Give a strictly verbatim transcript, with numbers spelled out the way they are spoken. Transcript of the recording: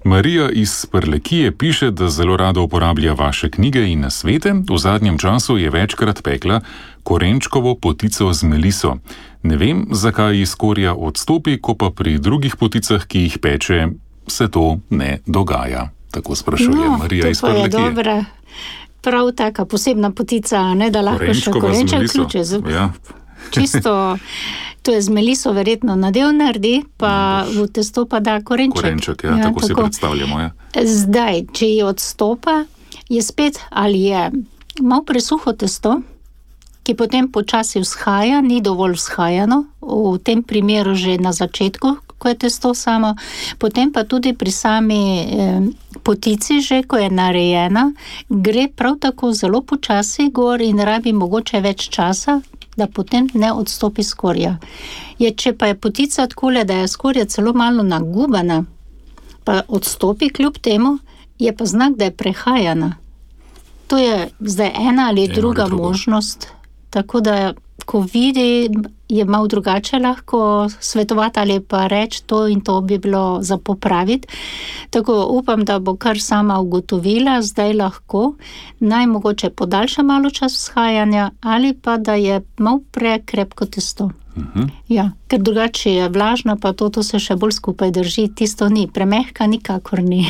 Marija iz Prlekije piše, da zelo rada uporablja vaše knjige in nasvete. V zadnjem času je večkrat pekla korenčkovo potico z meliso. Ne vem, zakaj iz skorja odstopi, ko pa pri drugih poticah, ki jih peče, se to ne dogaja. Tako sprašuje no, Marija iz Prlekije. No, to pa je dobra, prav taka posebna potica, ne, da lahko še korenček vključe. Ja. Čisto, to je z meliso verjetno nadev naredi, pa v testo pa da korenček. Korenček, ja, ja tako, tako si predstavljamo. Ja. Zdaj, če je odstopa, je spet, ali je malo presuho testo, ki potem počasi vzhaja, ni dovolj vzhajano, v tem primeru že na začetku, ko je testo samo, potem pa tudi pri sami eh, potici že, ko je narejena, gre prav tako zelo počasi gor in rabi mogoče več časa, da potem ne odstopi skorja. Je, če pa je potica takole, da je skorja celo malo nagubana, pa odstopi kljub temu, je pa znak, da je prehajana. To je zdaj ena ali Eno druga ali možnost, tako da ko vidi, je malo drugače lahko svetovati ali pa reči, to in to bi bilo za popraviti. Tako upam, da bo kar sama ugotovila, zdaj lahko, naj mogoče podaljša malo čas vzhajanja ali pa da je malo prekrepko testo. Uh-huh. Ja, ker drugače je vlažno, pa to, to se še bolj skupaj drži, tisto ni, premehka nikakor ni.